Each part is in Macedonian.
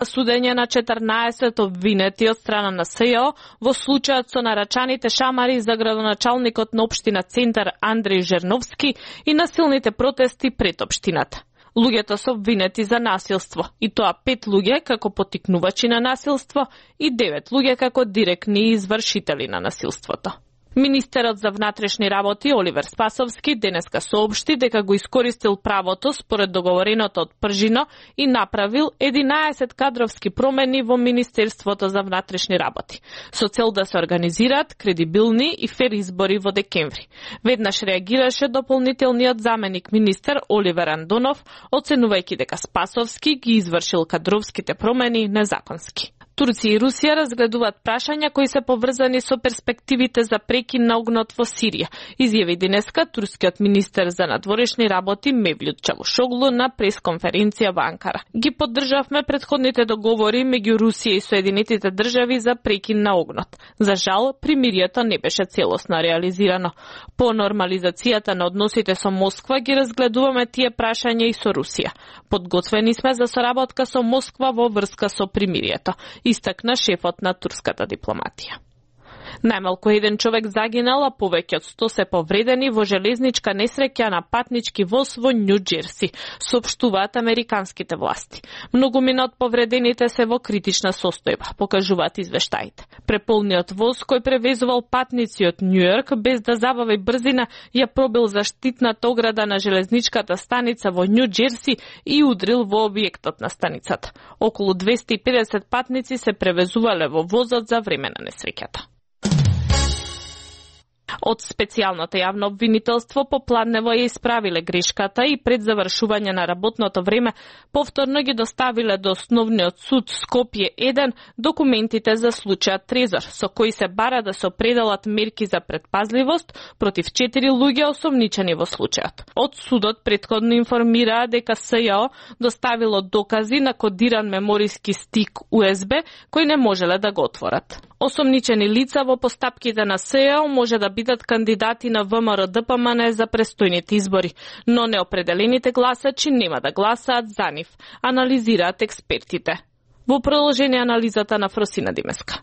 Судење на 14 обвинети од страна на СЈО во случајот со нарачаните шамари за градоначалникот на општина Центар Андреј Жерновски и насилните протести пред општината. Луѓето се обвинети за насилство, и тоа 5 луѓе како поттикнувачи на насилство и 9 луѓе како директни извршители на насилството. Министерот за внатрешни работи Оливер Спасовски денеска соопшти дека го искористил правото според договореното од Пржино и направил 11 кадровски промени во Министерството за внатрешни работи, со цел да се организираат кредибилни и фер избори во декември. Веднаш реагираше дополнителниот заменик министер Оливер Андонов, оценувајќи дека Спасовски ги извршил кадровските промени незаконски. Турција и Русија разгледуваат прашања кои се поврзани со перспективите за прекин на огнот во Сирија, изјави денеска турскиот министер за надворешни работи Мевлют Чавушоглу на пресконференција во Анкара. Ги поддржавме претходните договори меѓу Русија и Соединетите држави за прекин на огнот. За жал, примирието не беше целосно реализирано. По нормализацијата на односите со Москва ги разгледуваме тие прашања и со Русија. Подготвени сме за соработка со Москва во врска со примирието, истакна шефот на турската дипломатија. Најмалку еден човек загинал, а повеќе од 100 се повредени во железничка несреќа на патнички воз во Њу Џерси, соопштуваат американските власти. Многумина од повредените се во критична состојба, покажуваат извештаите. Преполниот воз кој превезувал патници од Њујорк без да забави брзина ја пробил заштитната ограда на железничката станица во Њу Џерси и удрил во објектот на станицата. Околу 250 патници се превезувале во возот за време на несреќата. Од специјалното јавно обвинителство попладнево ја исправиле грешката и пред завршување на работното време повторно ги доставиле до Основниот суд Скопје 1 документите за случајот Трезор, со кои се бара да се определат мерки за предпазливост против 4 луѓе осомничени во случајот. Од судот претходно информираа дека СЈО доставило докази на кодиран мемориски стик USB кој не можеле да го отворат. Осомничени лица во постапките на СЈО може да бидат кандидати на ВМРО-ДПМН за престојните избори, но неопределените гласачи нема да гласаат за нив, анализираат експертите. Во продолжение анализата на Фросина Димеска.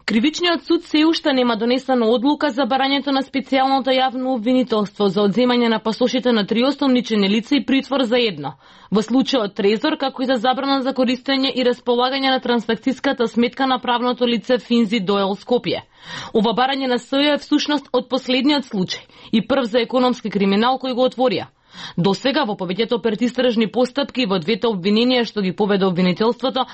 Кривичниот суд се уште нема донесена одлука за барањето на специјалното јавно обвинителство за одземање на пасошите на 3 осомничени лица и притвор за едно. Во случајот Трезор, како и за забрана за користење и располагање на трансакцијската сметка на правното лице Финзи Доел Скопје. Ова барање на СЈО е всушност од последниот случај и прв за економски криминал кој го отворија. До сега во повеќето предистражни постапки и во двете обвиненија што ги поведе обвинителството